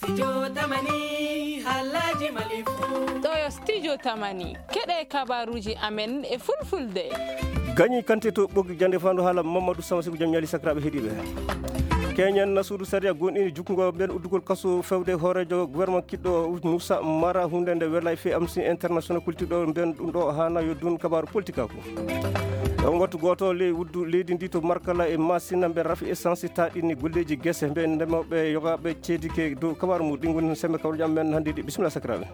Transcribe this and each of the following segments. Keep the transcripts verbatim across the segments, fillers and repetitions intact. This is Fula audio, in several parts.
Studio Tamani, haalaaji Mali fuu. Ɗo yo Studio Tamani, keɗe kabaruuji amen e fulfulde. Gañi kante to ɓoggi jande fandu haala Mamadou Sama Sibu jam ñaali sakiraaɓe heɗiiɓe. Keñen na suudu sariya gonɗini jukkungo ɓen uddugol kaso fewde hooreejo gouvernement kiɗɗo Moussa Mara, hunde nde welay fe Amnesty International kultiɗo ɓen ɗum ɗo haana yo dun kabaru politique ko. E on wattu gooto ley wuddu leydi ndi to Markala e Masina, mbe rafi essence taɗini golleeji gese, mbe ndemooɓe yogaaɓe ceedike dow kabaru mum. Ɗi ngoni sembe kawruji amen hannde ɗi. Bisimilla sakiraaɓe.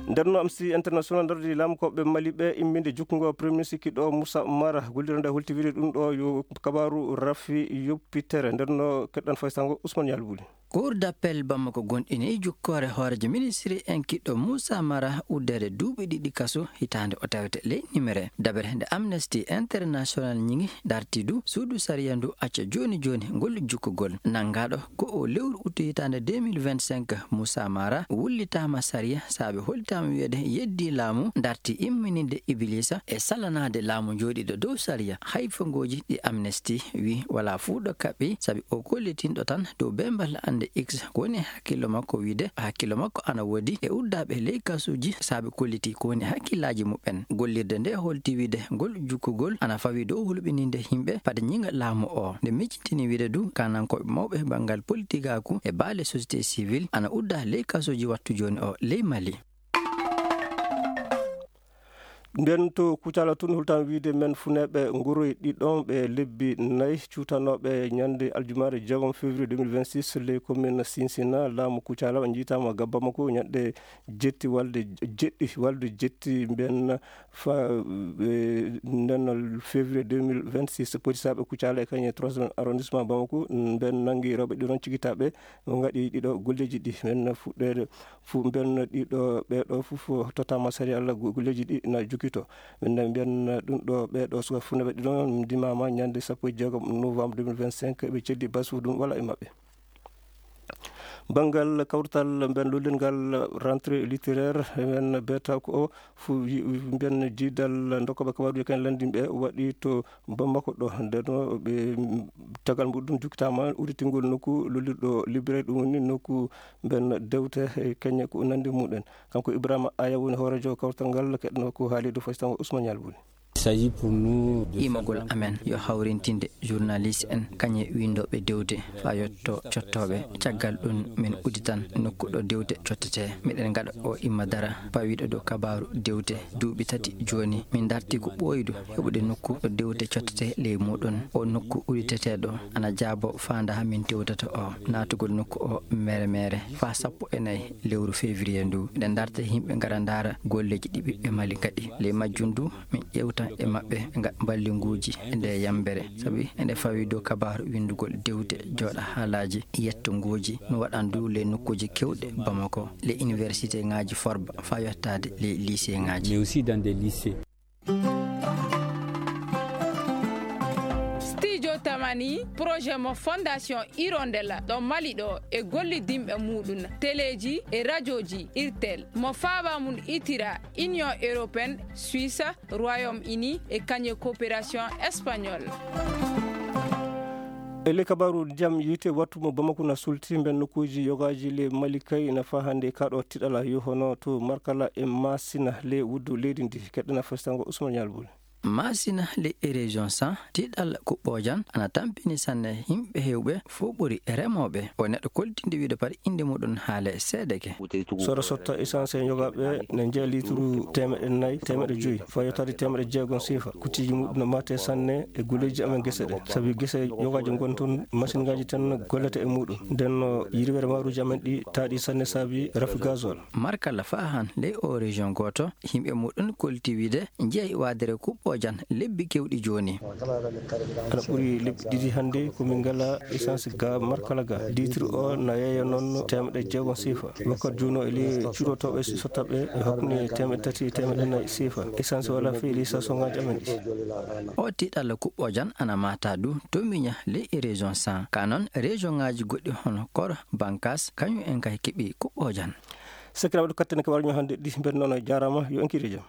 Nden no Amnesty International dardi laamu ko ɓe Mali ɓe imminde jukkungo Premier Ministre kiɗɗo Moussa Mara, gollirande holti wiide ɗum ɗo yo kabaru rafi yoppitere. Nden no keɗɗan faysango Ousmane Yalbuli. Cour d'appel Bamako gonɗini jukkoore hooreejo ministre en kiɗɗo Moussa Mara uddere duuɓi ɗiɗi kaso hitaande o tawete ley nimere. Dabere nde Amnesty International ñiŋi darti du suudu sariya ndu acca jooni jooni ngol jukkugol. Nanngaɗo ko o lewru uttu hitaande deux mille vingt-cinq, Moussa Mara wullitaama sariya saabe hollitaama wiyeede yeddi laamu darti immininde Ibilisa e salanaade laamu jooɗiiɗo dow sariya. Hay fongooji ɗi Amnesty wi wala fuu ɗo kaɓɓi, sabi o kollitinɗo tan dow bembal annde X ko woni e hakkillo makko wiide hakkillo makko ana woodi e uddaaɓe ley kasuuji saabe kolliti ko woni hakkillaaji muɓɓen. Gollirde nde holti wiide ngol jukkugol ana fawi dow hulɓininde yimɓe fade ñiŋa laamu o. Nde miccitini wiide du kanankooɓe mawɓe banngal politikaaku e baale société civile ana udda ley kasuuji wattu jooni o ley Mali. Nden to Kucala tun, hultan wiide men funeeɓe Ngoroy ɗiɗon ɓe lebbi nayi cuutanooɓe ñande aljumaare jeegom février deux mille vingt-six ley commune Sinsina, laamu Kucala o njiitaama ga Bamako ñande jetti walde jeɗɗi, walde jetti mben fa, e, nden février deux mille vingt-six. Polisaaɓe Kucala e kañe troisième arrondissement Bamako mben nangi rewɓe ɗiɗon cigitaaɓe o ngaɗi ɗiɗo golleeji ɗi. Men fuɗɗeede Fuu mbiyen ɗiɗo ɓeeɗo fof tottaama sariya Allah, go-, golleeji ɗi na jokito. Min na mbiyen ɗum ɗo ɓeeɗo suka fuu na ɓe ɗiɗo ndimaama ñande sappo e jeegom novembre deux mille vingt-cinq, ɓe ceddi bas fof ɗum wala e maɓɓe. Banngal kawrital mben lollingal rentrée littéraire, men beeta ko o fu-, yi-, mbiyen jiidal ndokkooɓe kabaruuji kan lanndinɓe waɗi to Bamako ɗo, nden no ɓe, mm, tagal muɗum jukkitaama udditingol nokku lollirɗo librairie, ɗum woni nokku mben dewte e keñe ko nanndi muɗen. Kanko Ibrahima Aya woni hooreejo kawtal ngal, keɗno ko haali dow fasitango Ousmane Yalbuni. Il s'agit pour nous de imagol amen yo hawrintinde journaliste en, kañe winndooɓe dewte faa yotto cottooɓe. Caggal ɗum, min udditan nokku ɗo dewte cottetee. Miɗen ngaɗa o imma dara pawiiɗo dow kabaaru dewte duuɓi tati jooni. Min darti ko ɓooydu heɓude nokku ɗo dewte cottetee ley muuɗum. O nokku udditeteeɗo ana jaabo faandaa min tewtata o. Naatugol nokku o mere mere faa sappo e nayi lewru février ndu. Miɗen darta yimɓe ngara ndaara golleeji ɗi ɓiɓɓe Mali ngaɗi. Ley majjum du, min ƴeewtan e maɓɓe nga-, mballinnguuji e nde yambere, sabi eɗe fawi dow kabaaru winndugol dewte, jooɗa haalaaji, yetto nguuji. No waɗan du ley nokkuuji keewɗi Bamako, ley université ŋaaji Forba, faa yottaade ley lycée ŋaaji. Mais aussi dans des lycées. Studio Tamani, projet mo Fondation Hirondelle ɗo Mali ɗo e gollidinɓe muɗum, teleeji e rajooji Irtel, mo faaba mum itira Union Européenne, Suisse, Royaume-Uni e kañe coopération espagnole. E ley kabaaru ndiyam yiite, wattu mo Bamako na sulti mben nokkuuji yogaaji ley Mali kay na faa hannde ka ɗo tiɗala yo hono to Markala e Masina ley wuddu leydi ndi. Keɗɗana fasitango Ousmane Yalbul. Masina ley e région san tiɗal kuɓɓoojan ana tampini sanne yimɓe heewɓe fof ɓuri remooɓe. O neɗɗo koltinde wiide par innde muɗum haale seedeke. Soro sotta essence e yogaaɓe ne njeya lituru teemeɗe nayi, teemeɗe joyi, faa yottaade teemeɗe jeegom seefa. Kutiji muɗum no mate sanne e golleeji amen gese ɗe. Sabi gese yogaaji ngon toon, machine ngaaji tan gollata e muɗum. Nden no yirwere maaruuji amen ɗi taaɗi sanne sabi rafi gazole. Markala faa han ley o région gooto, yimɓe muɗum kolti wiide njeyi waadere kuɓɓoojan lebbi kewɗi jooni. Ana ɓuri lebbi ɗiɗi hannde ko min ngala essence ga Markala ga. Litre o na yeeya noon teemeɗe jeegom seefa. Wakkati jooni o e ley curotooɓe sottaɓe e hakkunde teemeɗe tati e teemeɗe nayi seefa. Essence wala fii ley station ngaaji amen ɗi. O tiɗalla kuɓɓoojan ana mata du to miña ley e région san. Ka noon région ngaaji goɗɗi hono Koro, Bankas, kañum en kay keɓi kuɓɓoojan. Sakiraaɓe, ɗo katten kabaruuji men hannde ɗi, mbeɗa noon jaaraama, yo en kiire jam.